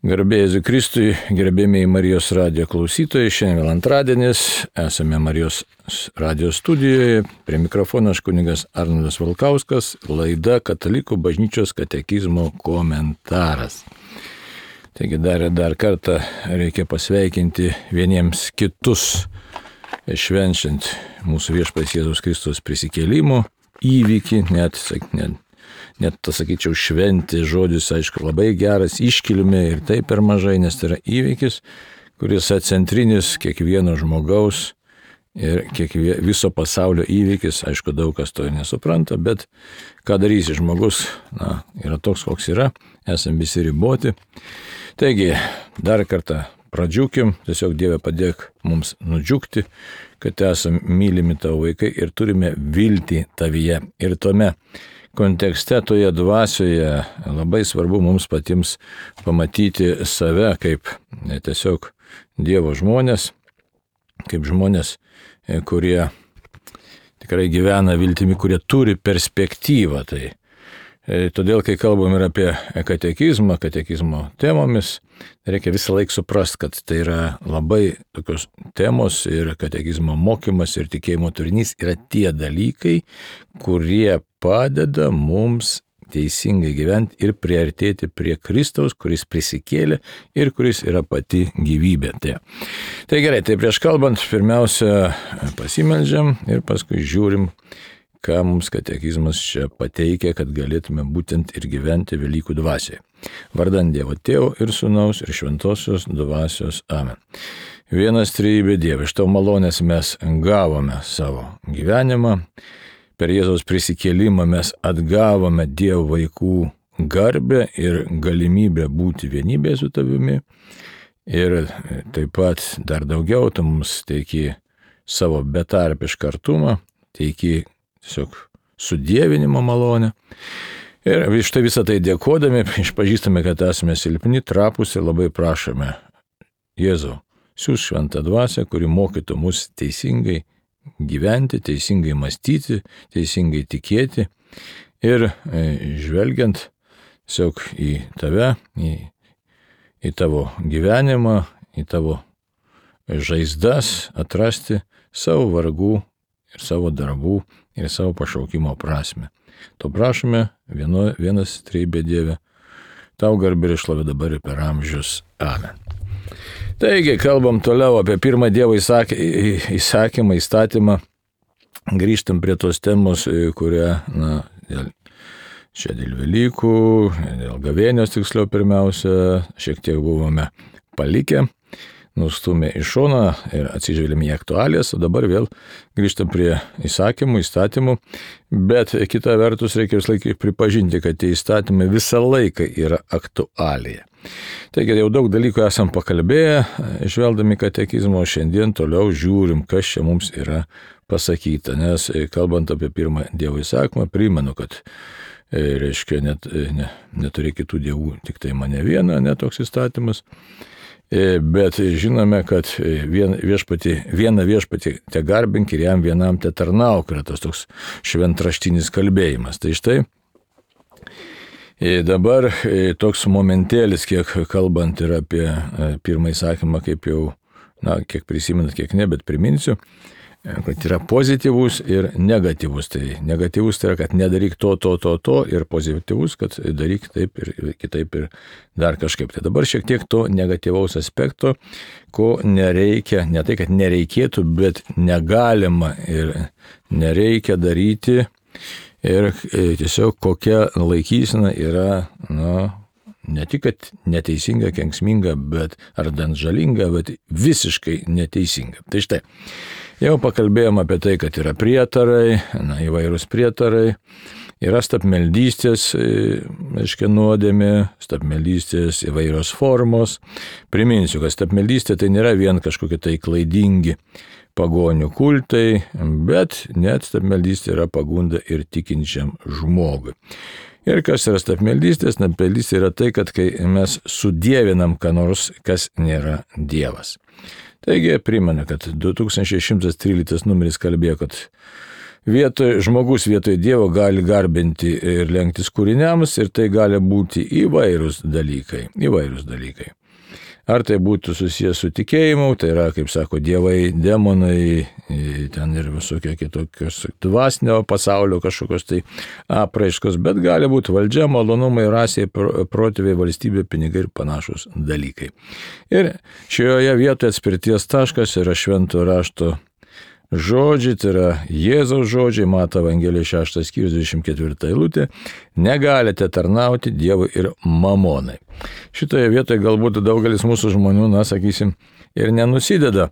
Garbė Jėzui Kristui, gerbėmiai Marijos radijo klausytojai, šiandien vėl antradienis, esame Marijos radijo studijoje, prie mikrofono aš kunigas Arnoldas Valkauskas, laida Katalikų bažnyčios katekizmo komentaras. Taigi dar kartą reikia pasveikinti vieniems kitus, švenčiant mūsų viešpats Jėzaus Kristus prisikėlimo įvykį, net tas, sakyčiau, šventė žodis, aišku, labai geras, iškilmė ir tai per mažai, nes tai yra įvykis, kuris centrinis kiekvieno žmogaus ir viso pasaulio įvykis, aišku, daug kas to nesupranta, bet ką darysi žmogus, yra toks, koks yra, esame visi riboti. Taigi, dar kartą pradžiukim, tiesiog Dieve padėk mums nudžiugti, kad esame mylimi tavo vaikai ir turime viltį tavyje. Ir tome kontekste, toje dvasioje labai svarbu mums patiems pamatyti save kaip tiesiog Dievo žmonės, kaip žmonės, kurie tikrai gyvena viltimi, kurie turi perspektyvą. Todėl, kai kalbam ir apie katekizmo temomis, reikia visą laiką suprasti, kad tai yra labai tokios temos ir katekizmo mokymas ir tikėjimo turinys yra tie dalykai, kurie padeda mums teisingai gyventi ir priartėti prie Kristaus, kuris prisikėlė ir kuris yra pati gyvybė. Tai gerai, tai prieš kalbant, pirmiausia pasimeldžiam ir paskui žiūrim, ką mums katekizmas čia pateikia, kad galėtume būtent ir gyventi Velykų dvasioje. Vardan Dievo Tėvo ir Sūnaus ir Šventosios dvasios. Amen. Vienas trejybė Dieve, iš tavo malonės mes gavome savo gyvenimą. Per Jėzaus prisikėlimą mes atgavome Dievo vaikų garbę ir galimybę būti vienybėje su tavimi. Ir taip pat dar daugiau, tu mums teiki savo betarpišką artumą, teiki tiesiog sudievinimo malonę. Ir štai visą tai dėkodami, išpažįstame, kad esame silpni, trapūs ir labai prašome Jėzau, siųsk šventą dvasią, kuri mokytų mus teisingai gyventi, teisingai mąstyti, teisingai tikėti ir žvelgiant tiesiog į tave, į tavo gyvenimą, į tavo žaizdas atrasti savo vargų ir savo darbų ir savo pašaukimo prasme. To prašome, vienas trejybė Dieve, tau garbė ir šlovė dabar ir per amžius. Amen. Taigi, kalbam toliau apie pirmą Dievo įsakymą, įstatymą. Grįžtam prie tos temos, kurią, čia dėl Velykų, dėl gavėnios tiksliau pirmiausia, šiek tiek buvome palikę, nustumė į šoną ir atsižvelgėme į aktualijas, o dabar vėl grįžtam prie įstatymų, bet kita vertus reikia vis laikai pripažinti, kad tie įstatymai visą laiką yra aktualija. Taigi jau daug dalykų esam pakalbėję, žvelgdami katekizmo, šiandien toliau žiūrim, kas čia mums yra pasakyta, nes kalbant apie pirmą Dievo įsakymą, primenu, kad reiškia neturi kitų dievų, tik tai mane vieną, netoks įstatymas. Bet žinome, kad vieną viešpatį te garbink ir jam vienam te tarnauk, yra tas toks šventraštinis kalbėjimas. Tai štai dabar toks momentėlis, kiek kalbant ir apie pirmą įsakymą, kaip jau, kiek prisimenat, kiek ne, bet priminsiu, kad yra pozityvus ir negatyvus. Tai negatyvus tai yra, kad nedaryk to, ir pozityvus, kad daryk taip ir kitaip ir dar kažkaip. Tai dabar šiek tiek to negatyvaus aspekto, ko nereikia, ne tai, kad nereikėtų, bet negalima ir nereikia daryti ir tiesiog kokia laikysena yra, ne tik, kad neteisinga, kenksminga, bet ar bent žalinga, bet visiškai neteisinga. Tai štai. Jau pakalbėjom apie tai, kad yra prietarai, įvairūs prietarai, yra stabmeldystės, nuodėmė, stabmeldystės įvairios formos. Priminsiu, kad stabmeldystė tai nėra vien kažkokie tai klaidingi pagonių kultai, bet net stabmeldystė yra pagunda ir tikinčiam žmogui. Ir kas yra stabmeldystė? Stabmeldystė yra tai, kad kai mes sudievinam ką nors, kas nėra Dievas. Taigi primena, kad 2113 numeris kalbėjo, kad žmogus vietoj Dievo gali garbinti ir lenktis kūriniams, ir tai gali būti įvairūs dalykai. Ar tai būtų susijęs su tikėjimu, tai yra, kaip sako, dievai, demonai, ten ir visokie kitokios dvasinio pasaulio kažkokios tai apraiškos, bet gali būti valdžia, malonumai, rasiai, protėviai, valstybė, pinigai ir panašus dalykai. Ir šioje vietoje atspirties taškas yra švento rašto žodžiai, tai yra Jėzaus žodžiai, Mato Evangelijos 6 skyrius 24 eilutė, negalite tarnauti Dievui ir mamonai. Šitoje vietoje galbūt daugelis mūsų žmonių, sakysim, ir nenusideda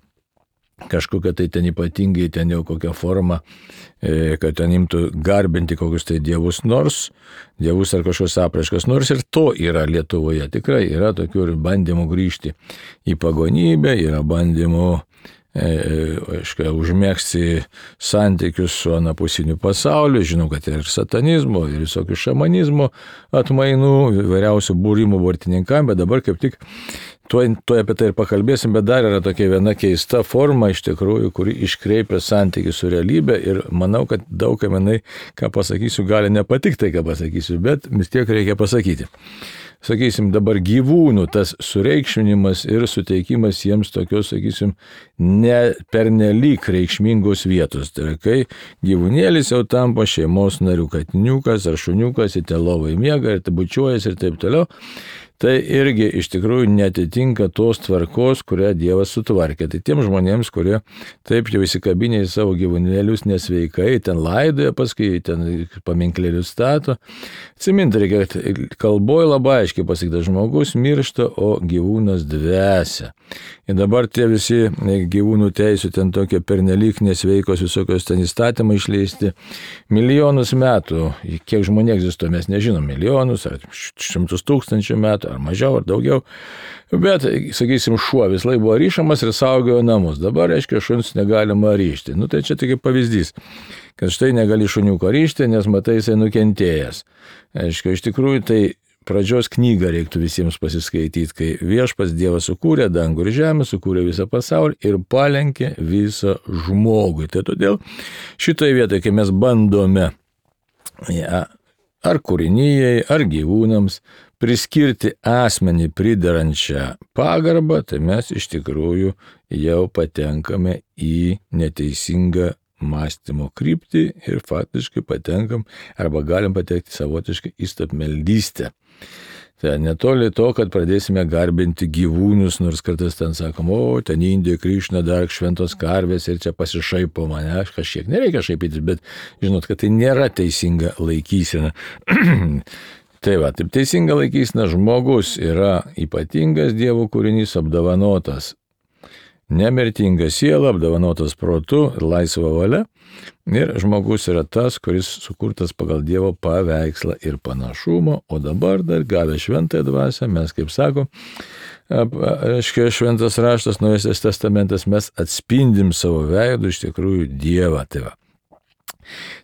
kažkokia tai ten ypatingai, ten jau kokią formą, kad ten imtų garbinti kokius tai dievus ar kažkokios apraiškos, nors ir to yra Lietuvoje. Tikrai yra tokių ir bandymų grįžti į pagonybę, yra bandymų užmėgsti santykius su anapusiniu pasauliu. Žinau, kad ir satanizmo, ir visokių šamanizmo atmainų, įvairiausių būrimų vartininkam, bet dabar kaip tik tuoj apie tai ir pakalbėsim, bet dar yra tokia viena keista forma iš tikrųjų, kuri iškreipia santykį su realybė ir manau, kad daug kaminai, ką pasakysiu, gali nepatikti tai, ką pasakysiu, bet vis tiek reikia pasakyti. Sakysim, dabar gyvūnų tas sureikšminimas ir suteikimas jiems tokios, sakysim, ne pernelyg reikšmingos vietos. Tai yra, kai gyvūnėlis jau tampa šeimos narių, katiniukas ar šuniukas, į telovai miega ir bučiuojas ir taip toliau. Tai irgi iš tikrųjų netitinka tos tvarkos, kurią Dievas sutvarkė. Tai tiem žmonėms, kurie taip jau įsikabinė į savo gyvūnėlius nesveikai, ten laidoja, paskui ten paminklėlius stato. Atsiminti reikia, kalboje labai aiškiai pasakyta, žmogus miršta, o gyvūnas dvesia. Ir dabar tie visi gyvūnų teisų ten tokie pernelyg nesveikos visokios ten įstatymai išleisti milijonus metų. Kiek žmonių egzistuoja, mes nežinom, milijonus ar 100 000 metų, ar mažiau, ar daugiau. Bet, sakysim, šuo vis laik buvo ryšamas ir saugojo namus. Dabar, reiškia, šuns negalima ryšti. Tai čia tik pavyzdys, kad štai negali šuniuko ryšti, nes matai, jisai nukentėjęs. Reiškia, iš tikrųjų, tai pradžios knygą reiktų visiems pasiskaityti, kai Viešpats Dievas sukūrė dangų ir žemę, sukūrė visą pasaulį ir palenkė visą žmogui. Tai todėl šitoje vietoje, kai mes bandome ar kūrinijai, ar gyvūnams priskirti asmenį pridarančią pagarbą, tai mes iš tikrųjų jau patenkame į neteisingą mąstymo kryptį ir faktiškai patenkam arba galim patekti savotiškai į stabmeldystę. Tai netoli to, kad pradėsime garbinti gyvūnus, nors kartais ten sakom, ten Indijoje Krišna dar šventos karvės ir čia pasišaipo mane, aš kažkiek nereikia šaipytis, bet žinot, kad tai nėra teisinga laikysena. Taip teisinga laikysena, žmogus yra ypatingas Dievo kūrinys, apdovanotas nemirtinga siela, apdovanotas protu ir laisva valia. Ir žmogus yra tas, kuris sukurtas pagal Dievo paveikslą ir panašumą, o dabar dar gavę šventąją dvasią, mes, kaip sako, šventas raštas, Naujasis testamentas, mes atspindim savo veidu iš tikrųjų Dievą.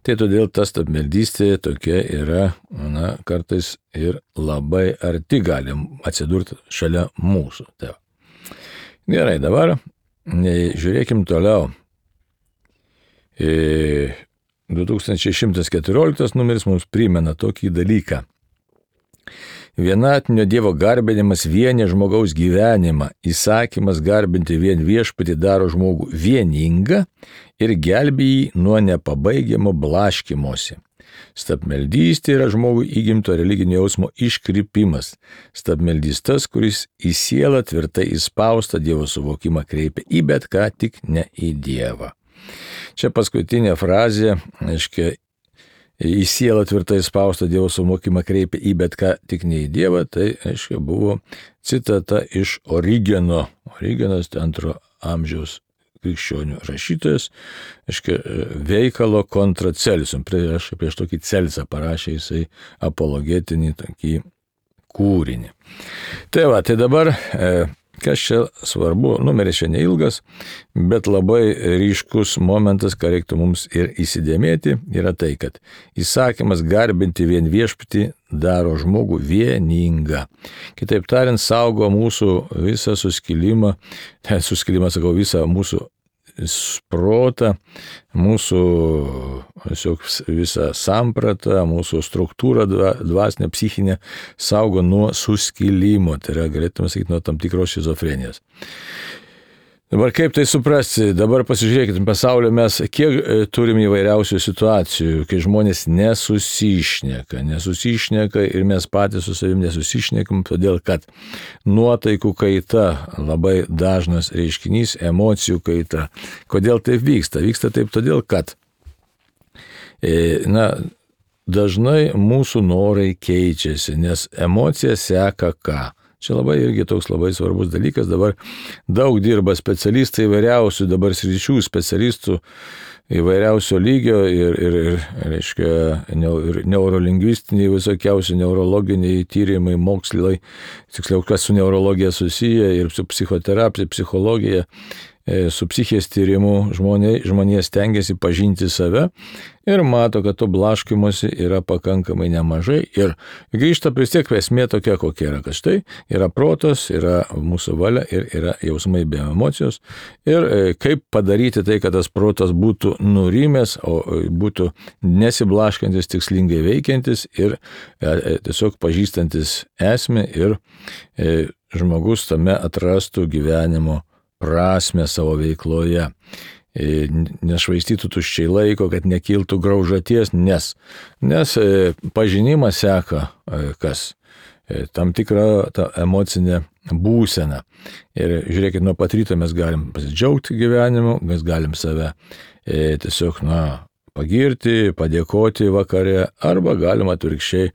Tai todėl ta stabmeldystė tokia yra, kartais ir labai arti galim atsidurti šalia mūsų. Gerai, dabar žiūrėkim toliau. 2114 numeris mums primena tokį dalyką. Vienatinio Dievo garbinimas vienė žmogaus gyvenimą, įsakymas garbinti vien Viešpatį daro žmogų vieningą ir gelbė jį nuo nepabaigiamo blaškymosi. Stabmeldystė yra žmogui įgimto religinio jausmo iškrypimas. Stabmeldys tas, kuris į sielą tvirtai įspaustą Dievo suvokimą kreipia į bet ką, tik ne į Dievą. Čia paskutinė frazė, aiškiai, į sielą tvirtai įspaustą Dievo suvokimą kreipia į bet ką, tik ne į Dievą, tai, aiškiai, buvo citata iš Origeno. Origenas 2 amžiaus krikščionių rašytojas, veikalo kontra Celsum. Prieš tokį Celsą parašė jisai apologetinį tokį kūrinį. Tai dabar, kas čia svarbu, numeris čia neilgas, bet labai ryškus momentas, ką reiktų mums ir įsidėmėti, yra tai, kad įsakymas garbinti vien Viešpatį daro žmogų vieningą. Kitaip tariant, saugo mūsų visą suskilimą, visą mūsų protą, mūsų visą sampratą, mūsų struktūrą dvasinę, psichinę saugo nuo suskilimo, tai yra, galėtume sakyti, nuo tam tikros šizofrenijos. Dabar kaip tai suprasti? Dabar pasižiūrėkite, pasaulio mes kiek turim įvairiausių situacijų, kai žmonės nesusišneka ir mes patys su savim nesusišnekam, todėl kad nuotaikų kaita labai dažnas reiškinys, emocijų kaita. Kodėl taip vyksta? Vyksta taip todėl, kad dažnai mūsų norai keičiasi, nes emocija seka ką? Čia labai irgi toks labai svarbus dalykas. Dabar daug dirba specialistai įvairiausių, dabar sričių specialistų įvairiausio lygio ir neurolingvistiniai visokiausi neurologiniai tyrimai, mokslai, tiksliau, kas su neurologija susiję ir su psichoterapija, psichologija, su psichės tyrimu žmonės stengiasi pažinti save ir mato, kad to blaškymosi yra pakankamai nemažai ir grįžta vis tiek esmė tokia, kokia yra, kad štai yra protas, yra mūsų valia ir yra jausmai be emocijos ir kaip padaryti tai, kad tas protas būtų nurimęs, o būtų nesiblaškantis, tikslingai veikiantis ir tiesiog pažįstantis esmę ir žmogus tame atrastų gyvenimo prasmę savo veikloje, nešvaistytų tuščiai laiko, kad nekiltų graužaties, nes pažinimas seka kas? Tam tikrą tą emocinę būseną. Ir žiūrėkit, nuo pat ryto mes galim pasidžiaugti gyvenimu, mes galim save tiesiog, pagirti, padėkoti vakare, arba galima atvirkščiai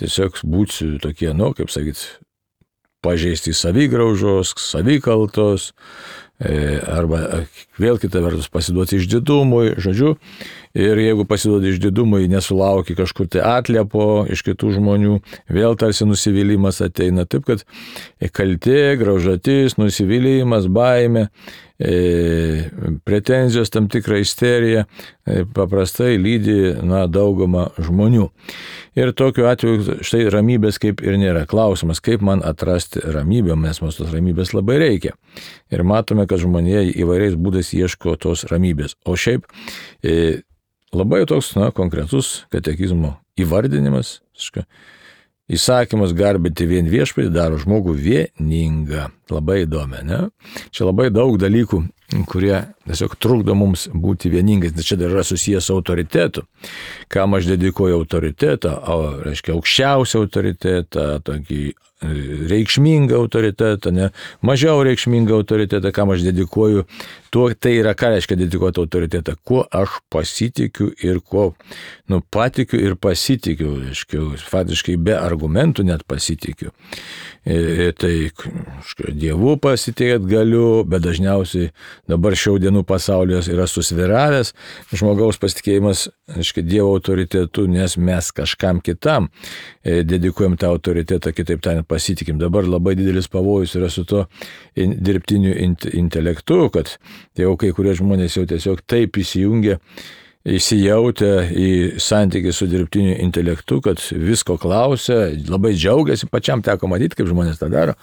tiesiog būti tokie, kaip sakyt, pažeisti savigraužos, savikaltos, arba vėl kita vertus pasiduoti išdidumui, žodžiu, ir jeigu pasiduoti išdidumui, nesulauki kažkur tai atliepo iš kitų žmonių, vėl tarsi nusivylimas ateina, taip kad kaltė, graužatis, nusivylimas, baimė, pretenzijos, tam tikra isterija paprastai lydi daugumą žmonių. Ir tokiu atveju štai ramybės kaip ir nėra. Klausimas, kaip man atrasti ramybę, nes mums tos ramybės labai reikia. Ir matome, kad žmonė įvairiais būdais ieško tos ramybės. O šiaip labai toks konkretus katekizmo įvardinimas, įsakymas garbinti vien viešpatį daro žmogų vieningą. Labai įdomi, ne? Čia labai daug dalykų, kurie tiesiog trukdo mums būti vieningais. Čia dar yra susijęs su autoritetu. Kam aš dedikuoju autoritetą, reiškia aukščiausią autoritetą, tokį reikšmingą autoritetą, ne? Mažiau reikšmingą autoritetą, kam aš dedikuoju. Tai yra, ką reiškia dedikuoti autoritetą. Kuo aš pasitikiu ir kuo patikiu ir pasitikiu. Reiškia, faktiškai be argumentų net pasitikiu. Tai Dievu pasitikėt galiu, bet dažniausiai dabar šių dienų pasaulyje yra susviravęs žmogaus pasitikėjimas, Dievo autoritetu, nes mes kažkam kitam dedikuojam tą autoritetą, kitaip tariant, pasitikim. Dabar labai didelis pavojus yra su to dirbtiniu intelektu, kad jau kai kurie žmonės jau tiesiog taip įsijautę į santykį su dirbtiniu intelektu, kad visko klausia, labai džiaugiasi, pačiam teko matyti, kaip žmonės tą daro,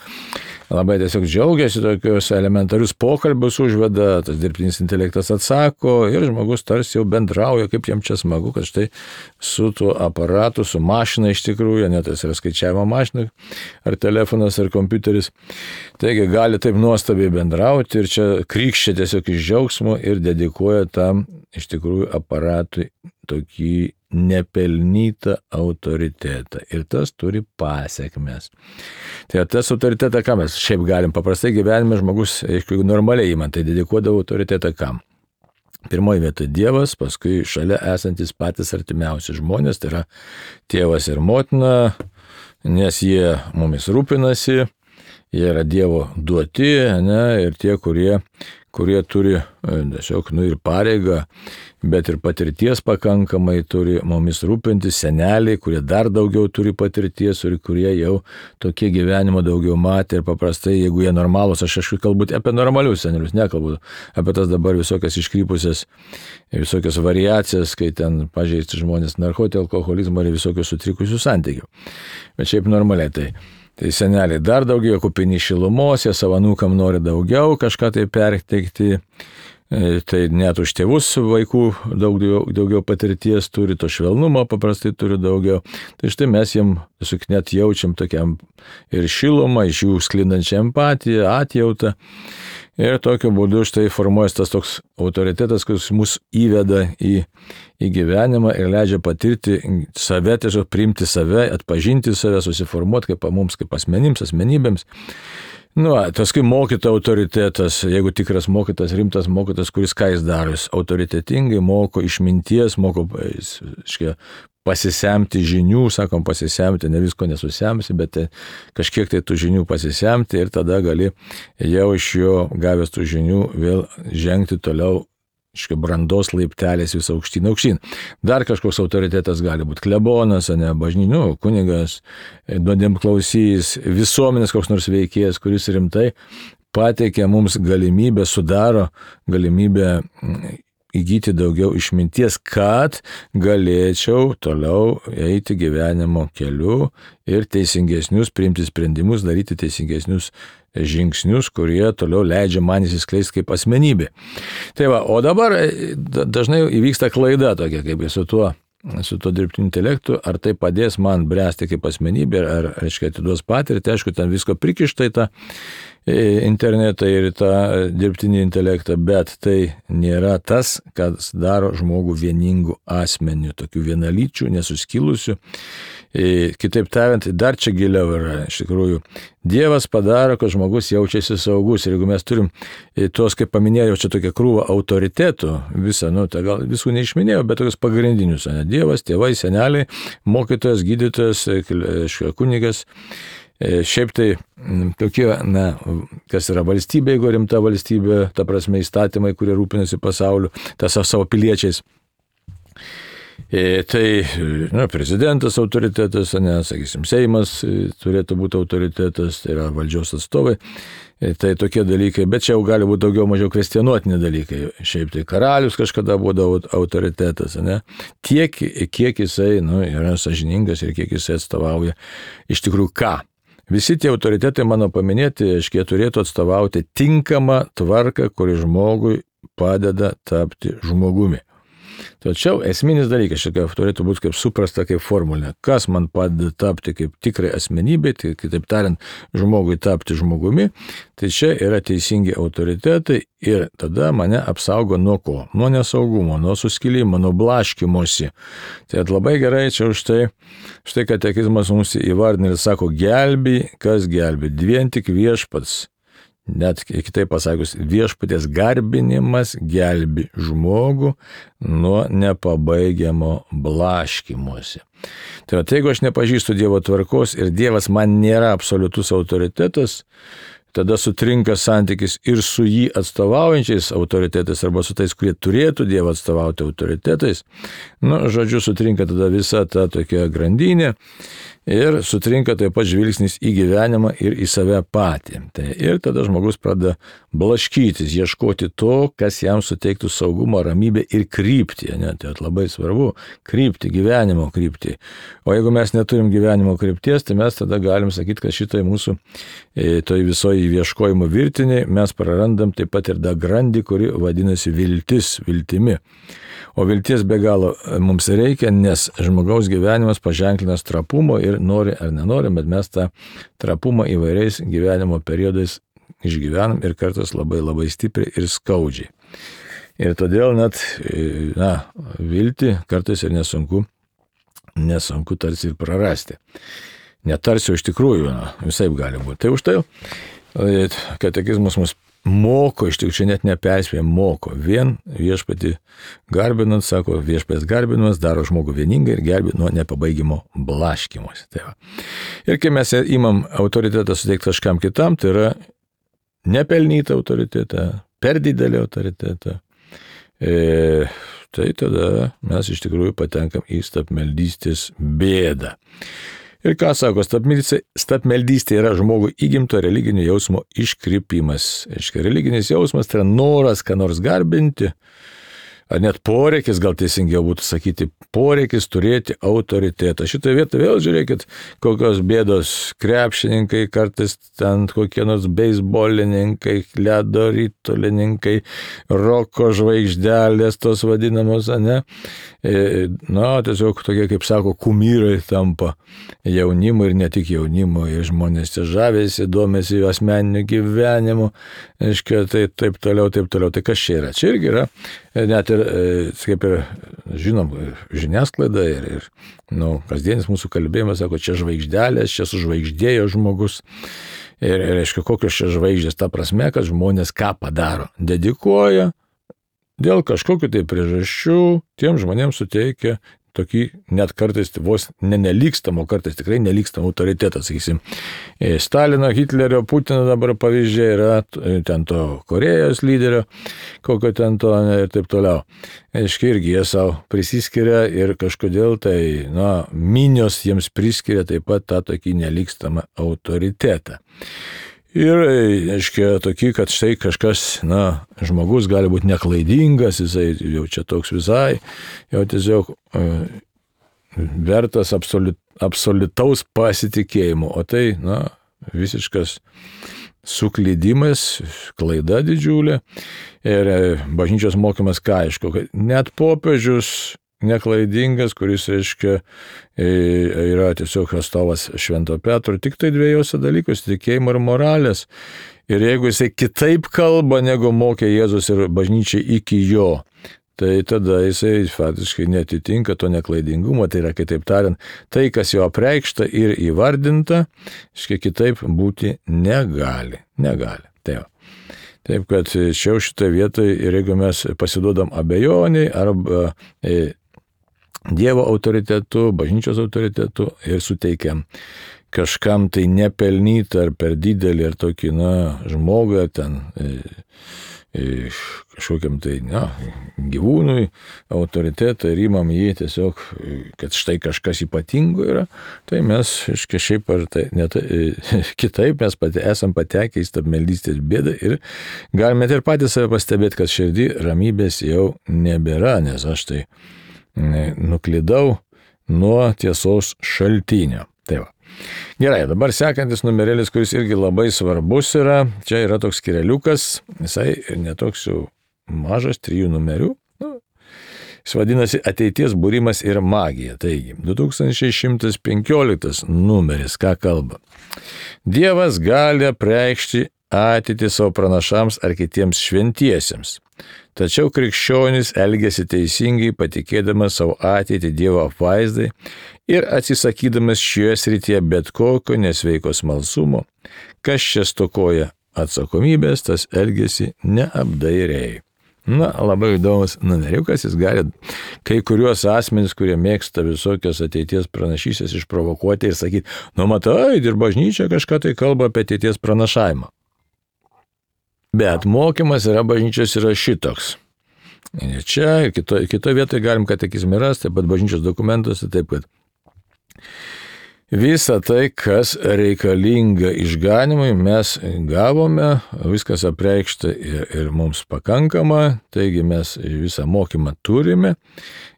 labai tiesiog džiaugiasi, tokius elementarius pokalbius užveda, tas dirbtinis intelektas atsako ir žmogus tarsi jau bendrauja, kaip jam čia smagu, kad štai su tuo aparatu, su mašina iš tikrųjų, net tas yra skaičiavimo mašina, ar telefonas, ar kompiuteris, taigi gali taip nuostabiai bendrauti ir čia krykščia tiesiog iš džiaugsmo ir dedikuoja tam iš tikrųjų aparatui tokį nepelnytą autoritetą. Ir tas turi pasekmes. Tai tas autoritetą, ką mes šiaip galim paprastai gyvenime žmogus, jeigu normaliai įman, tai dedikuodavo autoritetą kam? Pirmoji vieta Dievas, paskui šalia esantis patys artimiausi žmonės, tai yra tėvas ir motina, nes jie mumis rūpinasi, jie yra Dievo duoti, ir tie, kurie turi tiesiog ir pareigą, bet ir patirties pakankamai turi mumis rūpintis, seneliai, kurie dar daugiau turi patirties ir kurie jau tokie gyvenimo daugiau matė ir paprastai, jeigu jie normalūs, aš kalbu apie normalius senelius, nekalbu apie tas dabar visokias iškrypusias, visokias variacijas, kai ten pažeisti žmonės narkotį, alkoholizmą ir visokius sutrikusius santykių. Bet šiaip normaliai Tai seneliai dar daugiau kupini šilumos, jie savo anūkam nori daugiau kažką tai perteikti, Tai net už tėvus vaikų daugiau patirties turi, to švelnumo paprastai turi daugiau. Tai štai mes jiem tiesiog net jaučiam tokiam ir šilumą, iš jų sklindančią empatiją, atjautą. Ir tokiu būdu štai formuojas tas toks autoritetas, kuris mus įveda į gyvenimą ir leidžia patirti save, tiesiog priimti save, atpažinti save, susiformuoti kaip mums, kaip asmenybėms. Paskui mokytojo autoritetas, jeigu tikras mokytas, rimtas mokytas, kuris ką jis daro, jis autoritetingai moko išminties, moko pasisemti žinių, sakom pasisemti, ne visko nesusemsi, bet kažkiek tai tų žinių pasisemti ir tada gali jau iš jo gavęs tų žinių vėl žengti toliau brandos laiptelės vis aukštyn. Dar kažkoks autoritetas gali būti klebonas, kunigas, nuodėmklausys, visuomenės koks nors veikėjas, kuris rimtai pateikia mums galimybę, sudaro galimybę įgyti daugiau išminties, kad galėčiau toliau eiti gyvenimo keliu ir teisingesnius priimti sprendimus, daryti teisingesnius žingsnius, kurie toliau leidžia man įsiskleisti kaip asmenybė. O dabar dažnai įvyksta klaida tokia, kaip su tuo dirbtiniu intelektu, ar tai padės man bręsti kaip asmenybė, ar atiduos patirtį, aišku, ten visko prikišta į tą internetą ir tą dirbtinį intelektą, bet tai nėra tas, kas daro žmogų vieningų asmenių, tokių vienalyčių, nesuskilusių. Kitaip tariant, dar čia giliau yra, iš tikrųjų, Dievas padaro, kad žmogus jaučiasi saugus. Ir jeigu mes turim tuos, kaip paminėjau, čia tokia krūva autoritetų, visą, tai gal visų neišminėjau, bet tokius pagrindinius, Dievas, tėvai, seneliai, mokytojas, gydytojas, kunigas. Šiaip tai tokie, kas yra valstybė, jeigu rimta valstybė, ta prasme įstatymai, kurie rūpinasi pasauliu, savo piliečiais. Tai prezidentas autoritetas, sakysim, Seimas turėtų būti autoritetas, tai yra valdžios atstovai, tai tokie dalykai, bet čia jau gali būti daugiau mažiau kvestionuotini dalykai. Šiaip tai karalius kažkada būdavo autoritetas, tiek, kiek jisai yra sąžiningas ir kiek jisai atstovauja iš tikrųjų ką. Visi tie autoritetai mano paminėti, jie turėtų atstovauti tinkamą tvarką, kuri žmogui padeda tapti žmogumi. Tačiau esminis dalykas turėtų būti kaip suprasta kaip formulė, kas man padeda tapti kaip tikrai asmenybė, tai kitaip tariant, žmogui tapti žmogumi, tai čia yra teisingi autoritetai ir tada mane apsaugo nuo ko? Nuo nesaugumo, nuo suskilimo, nuo blaškymosi. Tai labai gerai čia štai katekizmas mums įvardina ir sako, gelbi, kas gelbi, vien tik Viešpats. Net kitaip pasakius, Viešpaties garbinimas gelbi žmogų nuo nepabaigiamo blaškymosi. Tai jeigu aš nepažįstu Dievo tvarkos ir Dievas man nėra absoliutus autoritetas, tada sutrinka santykis ir su jį atstovaujančiais autoritetais arba su tais, kurie turėtų Dievą atstovauti autoritetais. Sutrinka tada visa ta tokia grandinė ir sutrinka taip pat žvilgsnis į gyvenimą ir į save patį. Ir tada žmogus pradeda blaškytis, ieškoti to, kas jam suteiktų saugumą, ramybę ir kryptį. Tai labai svarbu kryptį, gyvenimo kryptį. O jeigu mes neturim gyvenimo krypties, tai mes tada galim sakyti, kad šitai mūsų toj visoje ieškojimo virtinėje mes prarandam taip pat ir tą grandį, kuri vadinasi viltimi. O vilties be galo mums reikia, nes žmogaus gyvenimas paženklinas trapumo ir nori ar nenori, bet mes tą trapumą įvairiais gyvenimo periodais išgyvenam ir kartais labai labai stipriai ir skaudžiai. Ir todėl net, viltį kartais ir nesunku tarsi ir prarasti. Netarsi, iš tikrųjų, visaip gali būti. Tai už tai katekizmas mus moko, iš tikrųjų, čia net neperspėja, moko. Vien Viešpatį garbinant, sako, Viešpatės garbinimas daro žmogų vieningai ir gelbi nuo nepabaigimo blaškymosi. Ir kai mes imam autoritetą suteikti kažkam kitam, tai yra nepelnytą autoritetą, per didelį autoritetą, tai tada mes iš tikrųjų patenkam į stabmeldystės bėdą. Ir ką sako, stabmeldystė yra žmogui įgimto religinio jausmo iškrypimas. Religinis jausmas tai yra noras ką nors garbinti, ar net poreikis, gal teisingiau būtų sakyti, poreikis turėti autoritetą. Šitą vietą vėl žiūrėkit, kokios bėdos krepšininkai, kartais ten kokie nors beisbolininkai, ledo ritolininkai, roko žvaigždelės, tos vadinamos, ne? Tiesiog tokie, kaip sako, kumyrai tampa jaunimo ir ne tik jaunimo, ir žmonės čia žavėsi, domėsi jų asmeniniu gyvenimu, aiškiai, tai taip toliau. Tai kas čia yra? Čia irgi yra, net ir, kaip ir žinom, žiniasklaida ir kasdienis mūsų kalbėjimas, sako, čia žvaigždelės, čia sužvaigždėjo žmogus. Ir aišku, kokios čia žvaigždės, ta prasme, kad žmonės ką padaro? Dedikuoja, dėl kažkokių tai priežasčių tiem žmonėms suteikia tokį net kartais vos nelygstamo, kartais tikrai nelygstamo autoritetą, sakysim. Stalino, Hitlerio, Putino dabar pavyzdžiai yra ten to Korėjos lyderio, kokio ten to ir taip toliau. Aiškiai, irgi jie savo prisiskiria ir kažkodėl tai, minios jiems priskiria taip pat tą tokį nelygstamą autoritetą. Ir, aiškiai, tokį, kad štai kažkas, žmogus gali būti neklaidingas, jisai jau čia toks visai, jau tiesiog vertas absoliutaus pasitikėjimo, o tai, visiškas suklydimas, klaida didžiulė. Ir bažnyčios mokymas ką aišku, kad net popiežius neklaidingas, kuris, reiškia, yra tiesiog atstovas Švento Petro, tik tai dviejose dalykuose, tikėjimo ir moralės. Ir jeigu jisai kitaip kalba, negu mokė Jėzus ir bažnyčiai iki jo, tai tada jisai faktiškai netitinka to neklaidingumo, tai yra, kitaip tariant, tai, kas jo apreikšta ir įvardinta, kitaip būti negali. Taip, kad čia šitoje vietoje, ir jeigu mes pasiduodam abejoniai arba Dievo autoritetu, bažnyčios autoritetu ir suteikiam kažkam tai nepelnytą ar per didelį ar tokį, žmogui ar ten kažkokiam tai, gyvūnui autoritetą ir imam jį tiesiog, kad štai kažkas ypatingo yra, tai mes, šiaip ar tai, kitaip mes esam patekę į stabmeldystės bėdą ir galime ir patys save pastebėti, kad širdį ramybės jau nebėra, nes aš tai nuklydau nuo tiesos šaltinio. Tai va. Gerai, dabar sekantis numerėlis, kuris irgi labai svarbus yra, čia yra toks skireliukas, jisai netoks jau mažas, 3 numerių. Jis vadinasi Ateities būrimas ir magija. Taigi, 2115 numeris, ką kalba? Dievas gali apreikšti ateitį savo pranašams ar kitiems šventiesiems. Tačiau krikščionis elgiasi teisingai, patikėdamas savo ateitį Dievo apvaizdai ir atsisakydamas šioje srityje bet kokio nesveiko smalsumo. Kas čia stokoja atsakomybės, tas elgiasi neapdairiai. Labai įdomus numeriukas, jis gali kai kuriuos asmenys, kurie mėgsta visokios ateities pranašystės išprovokuoti ir sakyti, matai, ir bažnyčia kažką tai kalba apie ateities pranašavimą. Bet mokymas yra bažnyčios yra šitoks. Čia, kitoje vietoje galim katekizme rasti, taip pat bažnyčios dokumentuose, taip kad visą tai, kas reikalinga išganimui, mes gavome, viskas apreikšta ir mums pakankama, taigi mes visą mokymą turime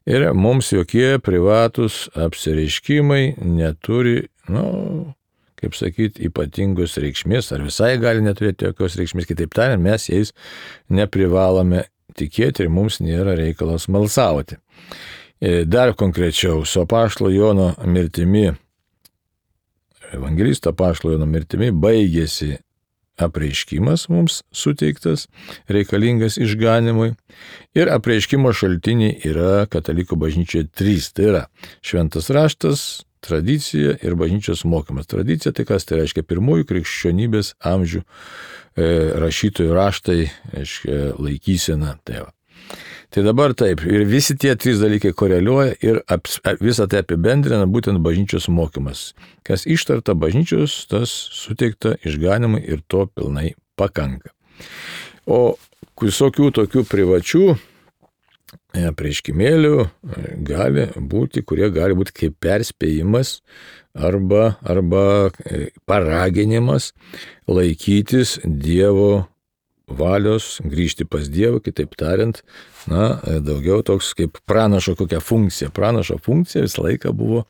ir mums jokie privatus apsireiškimai neturi, kaip sakyti, ypatingos reikšmės, ar visai gali neturėti jokios reikšmės, kitaip tariant, mes jais neprivalome tikėti ir mums nėra reikalas smalsauti. Dar konkrečiau, su apaštalo Jono mirtimi, evangelisto apaštalo Jono mirtimi, baigėsi apreiškimas mums suteiktas, reikalingas išganimui, ir apreiškimo šaltiniai yra katalikų bažnyčioje 3, tai yra šventas raštas, tradicija ir bažnyčios mokymas. Tradicija tai kas? Tai reiškia pirmųjų krikščionybės amžių rašytojų raštai, laikysena. Tai dabar taip, ir visi tie 3 dalykai koreliuoja ir visą tai apibendrina būtent bažnyčios mokymas. Kas ištarta bažnyčios, tas suteikta išganimui ir to pilnai pakanka. O visokių tokių privačių apreiškimėlių gali būti, kurie gali būti kaip perspėjimas arba paraginimas laikytis Dievo valios, grįžti pas Dievą, kitaip tariant, daugiau toks kaip pranašo kokia funkcija. Pranašo funkcija visą laiką buvo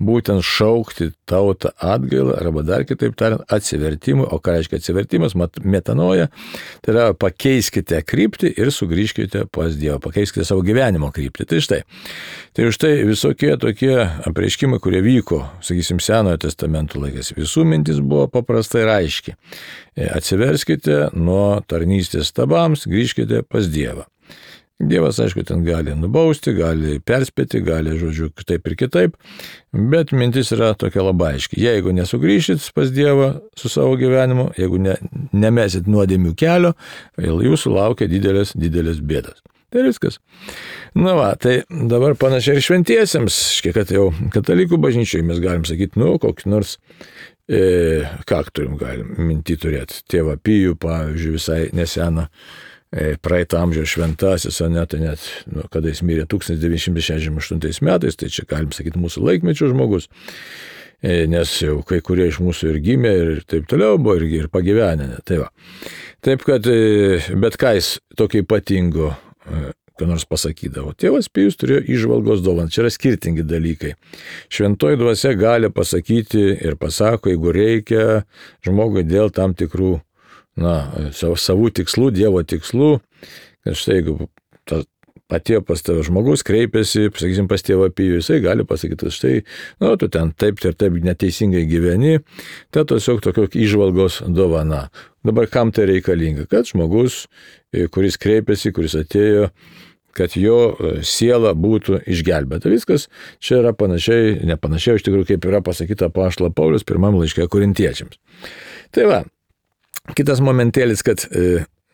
būtent šaukti tautą atgailą, arba dar kitaip tariant atsivertimui. O ką reiškia atsivertimas? Metanoja, tai yra pakeiskite kryptį ir sugrįžkite pas Dievą, pakeiskite savo gyvenimo kryptį. Tai štai visokie tokie apreiškimai, kurie vyko, sakysim, Senojo testamento laikais. Visų mintis buvo paprastai ir aiški. Atsiverskite nuo tarnystės stabams, grįžkite pas Dievą. Dievas, aišku, ten gali nubausti, gali perspėti, gali, žodžiu, taip ir kitaip, bet mintis yra tokia labai aiški. Jeigu nesugrįšit pas Dievą su savo gyvenimu, jeigu nemesit nuodėmių kelio, jūsų laukia didelės bėdas. Tai viskas. Tai dabar panašiai ir šventiesiems, kad jau katalikų bažnyčioje mes galim sakyti, kokį nors, ką galim minti turėti. Tėvą Pijų, pavyzdžiui, visai neseną, praeitą amžiaus šventasis, tai net, kada jis mirė 1968 metais, tai čia galim sakyti mūsų laikmečio žmogus, nes jau kai kurie iš mūsų ir gimė ir taip toliau buvo ir pagyvenę. Taip kad, bet ką jis tokio ypatingo, ką nors pasakydavo. Tėvas Pijus turėjo įžvalgos dovaną. Čia yra skirtingi dalykai. Šventoji dvasia gali pasakyti ir pasako, jeigu reikia žmogui dėl tam tikrų savų tikslų, Dievo tikslų, kad štai jeigu atėjo pas tave žmogus, kreipėsi, sakysim, pas tėvą Pijų, jisai gali pasakyti, kad štai, tu ten taip ir taip neteisingai gyveni, tai tiesiog tokio įžvalgos dovana. Dabar kam tai reikalinga? Kad žmogus, kuris kreipėsi, kuris atėjo, kad jo siela būtų išgelbėta. Viskas čia yra nepanašiai, iš tikrųjų, kaip yra pasakyta apaštalo Pauliaus pirmam laiške Korintiečiams. Tai kitas momentėlis, kad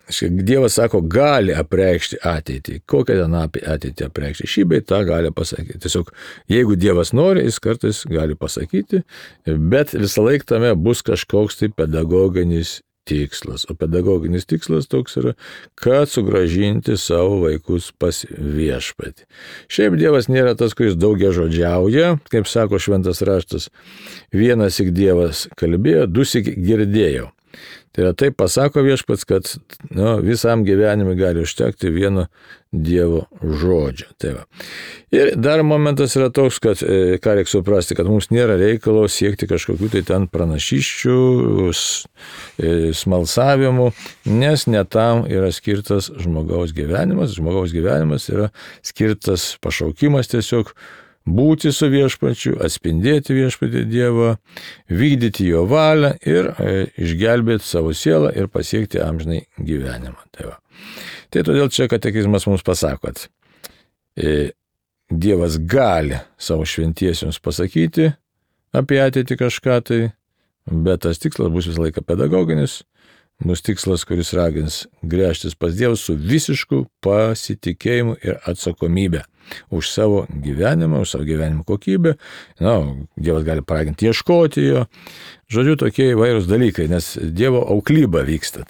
Dievas sako, gali apreikšti ateitį. Kokią ten ateitį apreikšti? Šį bei tą gali pasakyti. Tiesiog, jeigu Dievas nori, jis kartais gali pasakyti, bet visą laiką tame bus kažkoks tai pedagoginis tikslas. O pedagoginis tikslas toks yra, kad sugrąžinti savo vaikus pas viešpatį. Šiaip Dievas nėra tas, kuris daugiažodžiauja, kaip sako šventas raštas. Vienąsyk Dievas kalbėjo, dusyk girdėjau. Tai yra taip pasako viešpats, kad visam gyvenimui gali užtekti vieno Dievo žodžio. Ir dar momentas yra toks, kad ką reikia suprasti, kad mums nėra reikalo siekti kažkokių tai ten pranašysčių, smalsavimų, nes ne tam yra skirtas žmogaus gyvenimas. Žmogaus gyvenimas yra skirtas pašaukimas tiesiog būti su viešpačiu, atspindėti viešpatį Dievą, vykdyti jo valią ir išgelbėti savo sielą ir pasiekti amžinai gyvenimą. Tai todėl čia katekizmas mums pasako, kad Dievas gali savo šventiesiems pasakyti apie ateitį kažką tai, bet tas tikslas bus visą laiką pedagoginis, bus tikslas, kuris ragins gręžtis pas Dievą su visišku pasitikėjimu ir atsakomybė už savo gyvenimą, už savo gyvenimo kokybę. Dievas gali paraginti ieškoti jo. Žodžiu, tokie įvairūs dalykai, nes Dievo auklyba vyksta.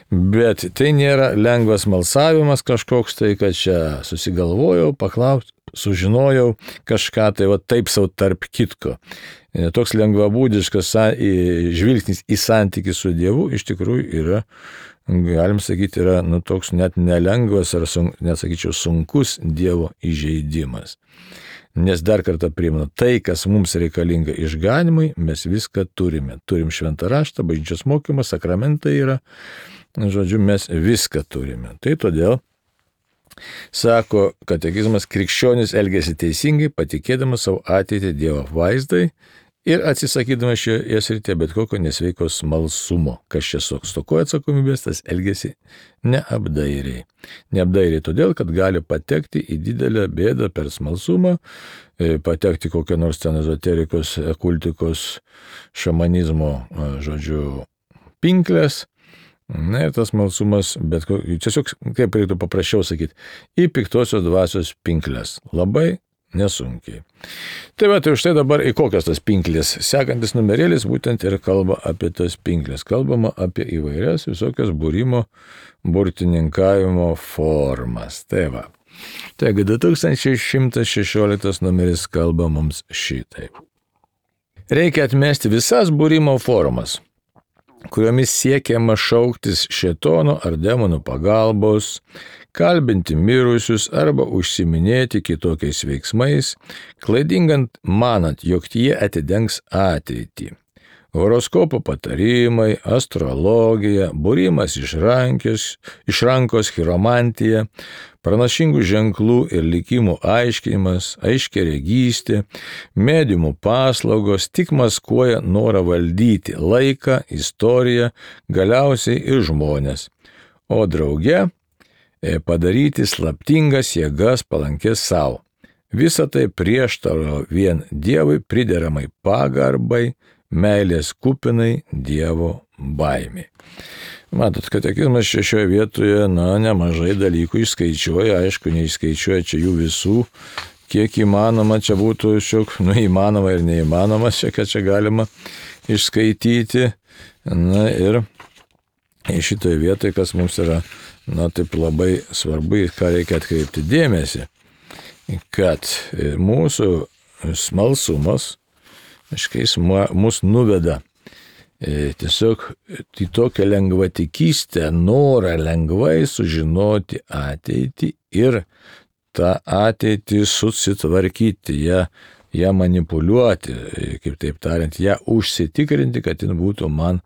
Bet tai nėra lengvas malsavimas kažkoks tai, kad čia susigalvojau, paklausti, sužinojau kažką tai taip savo tarp kitko. Toks lengvabūdiškas žvilgsnis į santykį su Dievu iš tikrųjų yra, galim sakyti, yra toks net nelengvas ar net sakyčiau sunkus Dievo įžeidimas. Nes dar kartą primenu, tai, kas mums reikalinga išganimui, mes viską turime. Turim šventą raštą, bažnyčios mokymą, sakramentai yra, žodžiu, mes viską turime. Tai todėl sako katekizmas, krikščionis elgiasi teisingai, patikėdamas savo ateitį Dievo vaizdai ir atsisakydamas šioje srityje bet kokio nesveiko smalsumo. Kas čia stokoja atsakomybės, tas elgiasi neapdairiai. Neapdairiai todėl, kad gali patekti į didelę bėdą per smalsumą, patekti kokią nors ten ezoterikos, kultikos, šamanizmo, žodžiu, pinklės. Ir tas smalsumas, bet tiesiog, kaip reiktų paprasčiau sakyti, į piktosios dvasios pinklės. Labai nesunkiai. Tai už tai dabar į kokias tas pinklės. Sekantis numerėlis būtent ir kalba apie tas pinklės. Kalbama apie įvairias visokias būrimo, burtininkavimo formas. Taigi 2116 numeris kalba mums šitaip. Reikia atmesti visas būrimo formas. kuriomis siekiama šauktis šėtono ar demonų pagalbos, kalbinti mirusius arba užsiminėti kitokiais veiksmais, klaidingant manant, jog jie atidengs ateitį. Horoskopo patarimai, astrologija, būrimas iš rankos, chiromantija, pranašingų ženklų ir likimų aiškinimas, aiškiaregystė, mediumų paslaugos tik maskuoja norą valdyti laiką, istoriją, galiausiai ir žmonės, o drauge padaryti slaptingas jėgas palankės savo. Visa tai prieštaro vien Dievui prideramai pagarbai, meilės kupinai Dievo baimė. Matot, katekizmas šioje vietoje, nemažai dalykų išskaičiuoja, aišku, neišskaičiuoja čia jų visų, kiek įmanoma, čia būtų šiok, įmanoma ir neįmanoma, kad čia galima išskaityti. Ir šitoje vietoje, kas mums yra, taip labai svarbu, ką reikia atkreipti dėmesį, kad mūsų smalsumas, jis mus nuveda tiesiog į tokią lengvatikystę, norą lengvai sužinoti ateitį ir tą ateitį susitvarkyti, ją manipuliuoti, kaip taip tariant, ją užsitikrinti, kad jin būtų man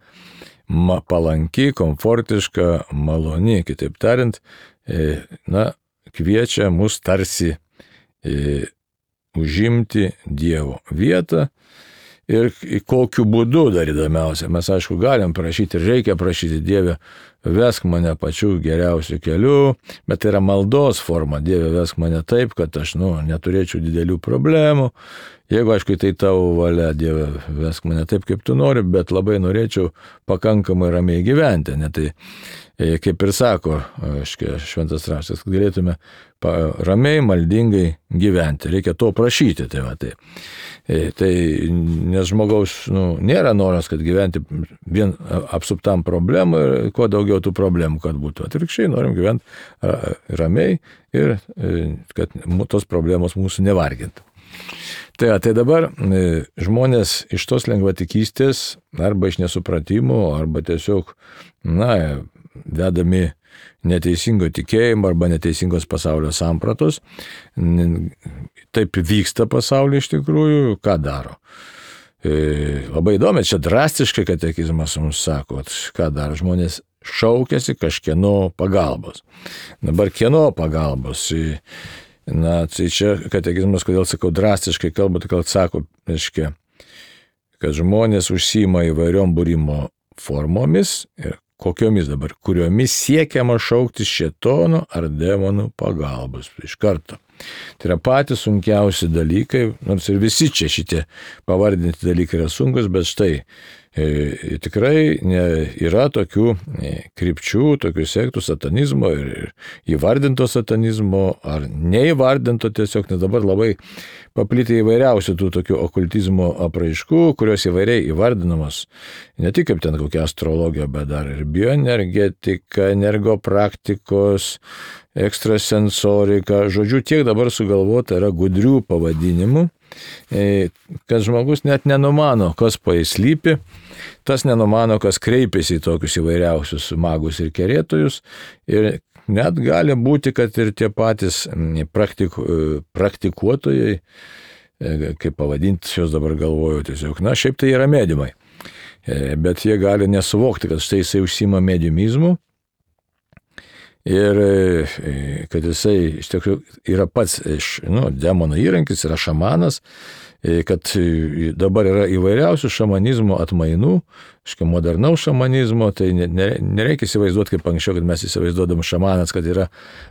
palanki, komfortiška, maloni. Kitaip tariant, kviečia mus tarsi užimti Dievo vietą. Ir kokiu būdu dar įdomiausia, mes aišku galim prašyti ir reikia prašyti, Dieve, vesk mane pačiu geriausiu keliu, bet tai yra maldos forma, Dieve, vesk mane taip, kad aš neturėčiau didelių problemų. Jeigu, aišku, tai tavo valia, Dieve, vesk mane taip, kaip tu nori, bet labai norėčiau pakankamai ramiai gyventi. Tai kaip ir sako šventas raštas, kad galėtume ramiai, maldingai gyventi. Reikia to prašyti. Tai nes žmogaus nėra noras, kad gyventi vien apsuptam problemų ir kuo daugiau tų problemų, kad būtų. Atvirkščiai norim gyventi ramiai ir kad tos problemos mūsų nevargintų. Tai dabar žmonės iš tos lengvatikystės arba iš nesupratimo, arba tiesiog, vedami neteisingo tikėjimo arba neteisingos pasaulio sampratos. Taip vyksta pasaulyje iš tikrųjų, ką daro. Labai įdomi, čia drastiškai katekizmas mums sako, ką daro. Žmonės šaukiasi kažkieno pagalbos. Dabar kieno pagalbos? Tai čia katekizmas, kodėl sakau drastiškai kalba, tai sako, kad žmonės užsiima įvairiom būrimo formomis ir kokiomis dabar, kuriomis siekiama šauktis šėtono ar demonų pagalbos iš karto. Tai yra patys sunkiausi dalykai, nors ir visi čia šitie pavardinti dalykai yra sunkus, bet štai tikrai yra tokių krypčių, tokių sektų satanizmo ir įvardinto satanizmo ar neįvardinto tiesiog, nes dabar labai paplitę įvairiausių tų tokių okultizmo apraiškų, kurios įvairiai įvardinamos, ne tik kaip ten kokia astrologija, bet dar ir bioenergetika, energopraktikos, ekstrasensorika, žodžiu, tiek dabar sugalvota yra gudrių pavadinimų, kad žmogus net nenumano, kas po jais slypi, tas nenumano, kas kreipiasi į tokius įvairiausius magus ir kerėtojus, ir net gali būti, kad ir tie patys praktikuotojai, kaip pavadinti, šios dabar galvoju tiesiog, šiaip tai yra mediumai, bet jie gali nesuvokti, kad štai jisai užsiima mediumizmu, ir kad jisai iš tikrųjų yra pats demono įrankis, yra šamanas, kad dabar yra įvairiausių šamanizmo atmainų, modernaus šamanizmo, tai nereikia įsivaizduoti kaip anksčiau, kad mes įsivaizduodam šamanas, kad yra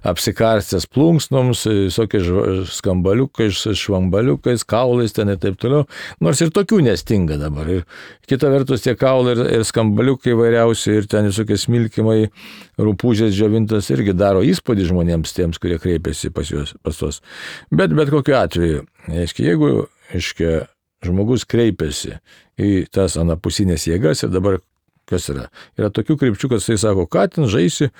apsikarstęs plunksnoms, visokiais skambaliukais, švambaliukais, kaulais ten ir taip toliau, nors ir tokių nestinga dabar. Ir kita vertus tie kaulai ir skambaliukai įvairiausi ir ten visokie smilkimai, rupūžės džiovintas irgi daro įspūdį žmonėms tiems, kurie kreipiasi pas tos. Bet kokiu atveju, jeigu žmogus kreipiasi į tas anapusinės jėgas ir dabar Kas yra? Yra tokių krypčių, kad jisai sako, ką ten žaisi,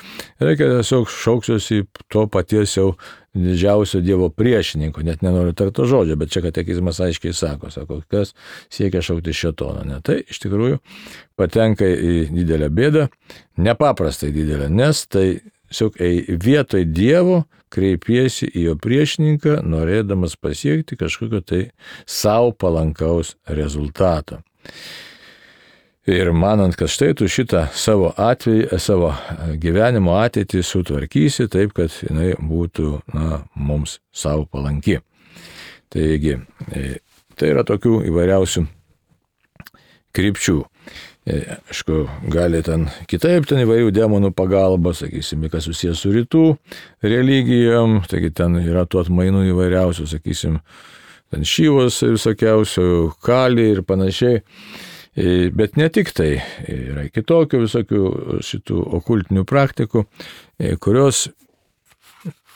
reikia tiesiog šauksiuosi to paties jau didžiausio Dievo priešininko, net nenoriu tarto žodžio, bet čia katekizmas aiškiai sako, kas siekia šaukti šėtoną. Ne? Tai iš tikrųjų patenka į didelę bėdą, nepaprastai didelę, nes tai tiesiog vietoj Dievo kreipiesi į jo priešininką, norėdamas pasiekti kažkokio tai savo palankaus rezultato. Ir manant, kad štai tu šitą savo gyvenimo ateitį sutvarkysi taip, kad jinai būtų mums savo palanki. Taigi, tai yra tokių įvairiausių krypčių. Aišku, gali ten kitaip, ten įvairių demonų pagalba, sakysime, kas susijęs su rytų religijom, taigi ten yra tų atmainų įvairiausių, sakysime, ten šyvos visokiausių, kali ir panašiai. Bet ne tik tai, yra kitokių visokių šitų okultinių praktikų, kurios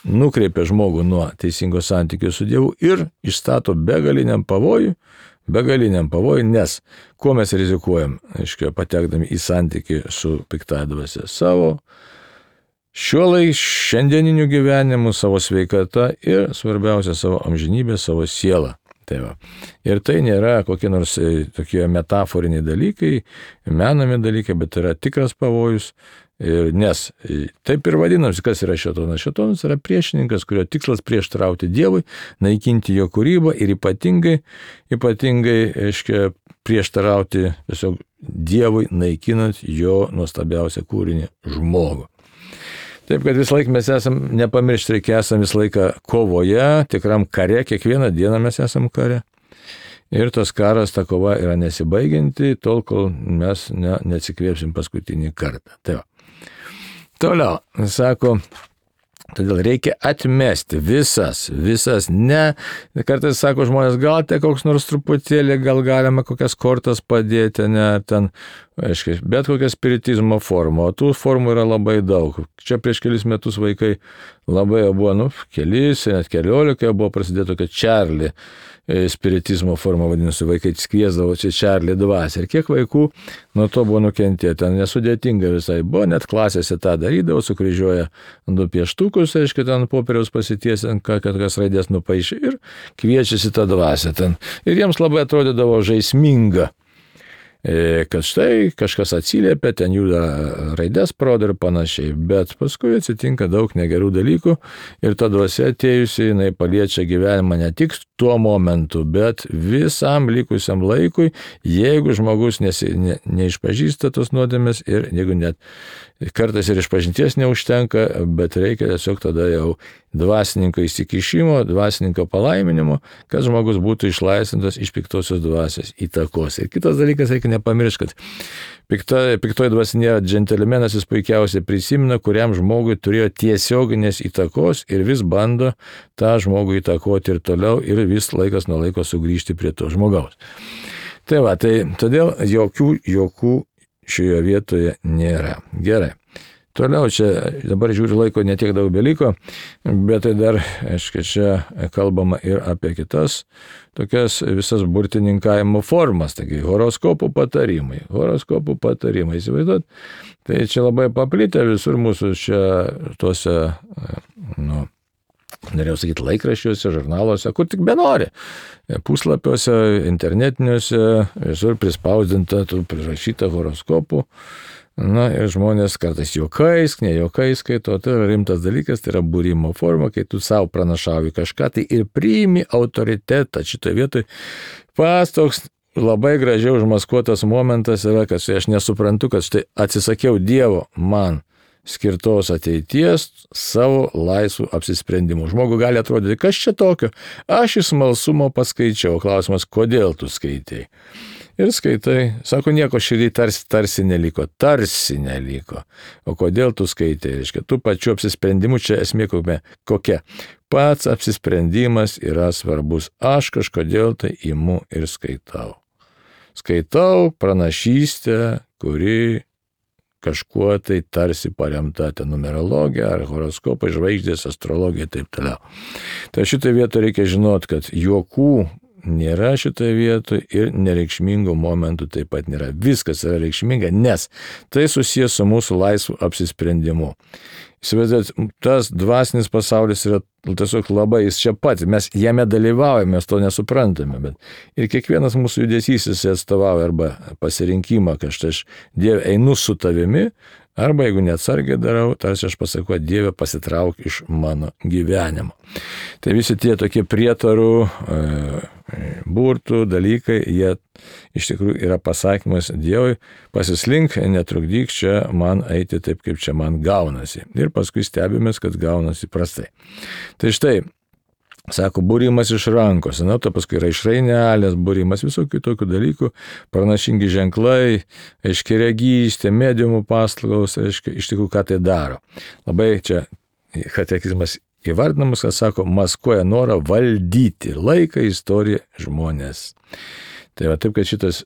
nukreipia žmogų nuo teisingo santykio su Dievu ir išstato begaliniam pavojui, nes kuo mes rizikuojam, aiškiai, patekdami į santykį su piktąja dvasia savo, šiandieniniu gyvenimu, savo sveikata ir svarbiausia savo amžinybė, savo sielą. Tai va. Ir tai nėra kokie nors tokie metaforiniai dalykai, menami dalykai, bet tai yra tikras pavojus. Nes taip ir vadinasi, kas yra šėtonas. Šėtonas yra priešininkas, kurio tikslas prieštarauti Dievui, naikinti jo kūrybą ir ypatingai prieštarauti tiesiog Dievui, naikinant jo nuostabiausią kūrinį žmogų. Taip, kad visą laiką mes esam, nepamiršti reikia, esam visą laiką kovoje, tikram kare, kiekvieną dieną mes esam kare. Ir tas karas, ta kova yra nesibaigianti, tol, kol mes neatsikvėpsim paskutinį kartą. Tai va. Toliau, sako, todėl reikia atmesti visas, kartais sako žmonės, gal tai koks nors truputėlį, gal galima kokias kortas padėti, ten, aiškiai, bet kokia spiritizmo forma, o tų formų yra labai daug. Čia prieš kelis metus vaikai labai buvo, kelis, net 14 buvo prasidėję tokia Čarli spiritizmo forma, vadinasi, vaikai kviesdavo čia Čarli dvasią. Ir kiek vaikų nuo to buvo nukentėję, ten nesudėtinga visai buvo, net klasėse tą darydavo, sukryžiuoja 2 pieštukus, aiškiai, ten popieriaus pasitiesiant, kad kas raidės nupaišė ir kviečiasi tą dvasią ten. Ir jiems labai atrodydavo žaisminga, kad štai kažkas atsiliepia, ten juda raidės parodo ir panašiai, bet paskui atsitinka daug negerų dalykų ir ta dvasia atėjusi, jinai paliečia gyvenimą ne tik tuo momentu, bet visam likusiam laikui, jeigu žmogus neišpažįsta tos nuodėmės ir jeigu net kartais ir išpažinties neužtenka, bet reikia tiesiog tada jau dvasininko įsikišimo, dvasininko palaiminimo, kad žmogus būtų išlaisvintas iš piktosios dvasios įtakos. Ir kitas dalykas, reikia nepamiršti, kad piktoji dvasia nėra džentelmenas, jis puikiausiai prisimena, kuriam žmogui turėjo tiesioginės įtakos ir vis bando tą žmogų įtakoti ir toliau ir vis laikas nuo laiko sugrįžti prie to žmogaus. Tai va, tai todėl jokių šioje vietoje nėra. Gerai. Toliau čia, dabar žiūriu laiko netiek daug beliko, bet tai dar, aiškiai, čia kalbama ir apie kitas tokias visas burtininkavimo formas, taigi horoskopų patarimai, įsivaizduot, tai čia labai paplitę visur mūsų čia tuose, norėjau sakyti, laikraščiuose, žurnaluose, kur tik benori, puslapiuose, internetiniuose, visur prispausdinta, prirašyta horoskopų. Ir žmonės kartais juokais, ne juokais skaito, tai yra rimtas dalykas, tai yra būrimo forma, kai tu savo pranašauji kažką, tai ir priimi autoritetą. Šitoje vietoje pas toks labai gražiai užmaskuotas momentas yra, kad aš nesuprantu, kad štai atsisakiau Dievo man skirtos ateities savo laisvų apsisprendimų. Žmogui gali atrodyti, kas čia tokio? Aš iš smalsumo paskaičiau. Klausimas, kodėl tu skaitai? Ir skaitai, sako, nieko širdį tarsi neliko. O kodėl tu skaitai? Reiškia, tų pačių apsisprendimų čia esmė kokia? Pats apsisprendimas yra svarbus. Aš kažkodėl tai imu ir skaitau. Skaitau pranašystę, kuri kažkuo tai tarsi paremta ten numerologija ar horoskopai, žvaigždės, astrologija ir taip toliau. Tai šitą vietą reikia žinoti, kad jokių nėra šitoje vietoje ir nereikšmingų momentų taip pat nėra. Viskas yra reikšminga, nes tai susijęs su mūsų laisvu apsisprendimu. Įsivaizduojat, tas dvasinis pasaulis yra tiesiog labai, jis čia pat, mes jame dalyvaujame, mes to nesuprantame, bet ir kiekvienas mūsų judesys jis atstovauja arba pasirinkimą, kad aš Dieve einu su tavimi, arba jeigu neatsargiai darau, tarsi aš pasakau, Dieve pasitrauk iš mano gyvenimo. Tai visi tie tokie prietarų, burtų dalykai, jie iš tikrųjų yra pasakymas Dievui, pasislink, netrukdyk čia man eiti taip, kaip čia man gaunasi. Ir paskui stebimės, kad gaunasi prastai. Tai štai, sako, būrimas iš rankos, to paskui yra iš rainelės, būrimas visokių tokių dalykų, pranašingi ženklai, aiškiaregystė, mediumų paslaugos, iš tikrųjų, ką tai daro. Labai čia katekizmas įvardinamas, kad sako, maskuoja norą valdyti laiką, istoriją, žmonės. Tai va taip, kad šitas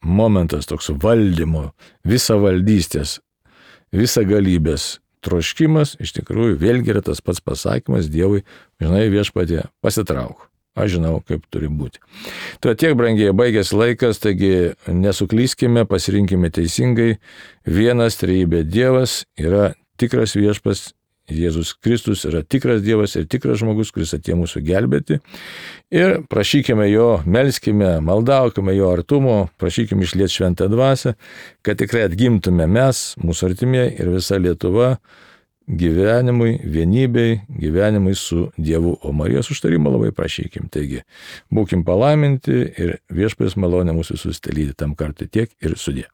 momentas toks valdymo, visavaldystės, visagalybės troškimas, iš tikrųjų, vėlgi yra tas pats pasakymas Dievui, žinai, Viešpatie, pasitrauk. Aš žinau, kaip turi būti. Tai tiek, brangiai, baigėsi laikas, taigi nesuklyskime, pasirinkime teisingai. Vienas trejybė Dievas yra tikras viešpats, Jėzus Kristus yra tikras Dievas ir tikras žmogus, kuris atėjo mūsų gelbėti. Ir prašykime jo, melskime, maldaukime jo artumo, prašykime išliet šventą dvasią, kad tikrai atgimtume mes, mūsų artimieji ir visa Lietuva gyvenimui, vienybei, gyvenimui su Dievu. O Marijos užtarimo labai prašykim. Taigi, būkim palaiminti ir Viešpaties malonė mūsų visus telyti tam kartui tiek ir sudie.